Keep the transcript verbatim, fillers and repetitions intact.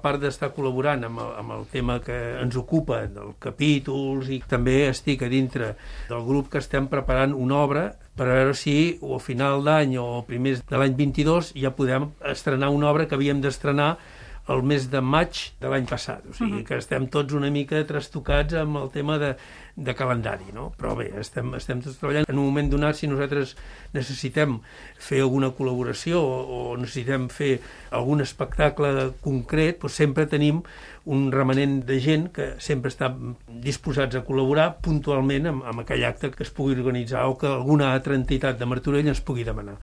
part d'estar col·laborant amb el, amb el tema que ens ocupa dels capítols, i també estic a dintre del grup que estem preparant una obra per a veure si o a final d'any o primers de l'any vint-i-dos ja podem estrenar una obra que havíem d'estrenar el mes de maig de l'any passat. O sigui, uh-huh. que estem tots una mica trastocats amb el tema de, de calendari, no? Però bé, estem, estem tots treballant. En un moment donat, si nosaltres necessitem fer alguna col·laboració o, o necessitem fer algun espectacle concret, doncs sempre tenim un remanent de gent que sempre està disposats a col·laborar puntualment amb, amb aquell acte que es pugui organitzar o que alguna altra entitat de Martorell ens pugui demanar.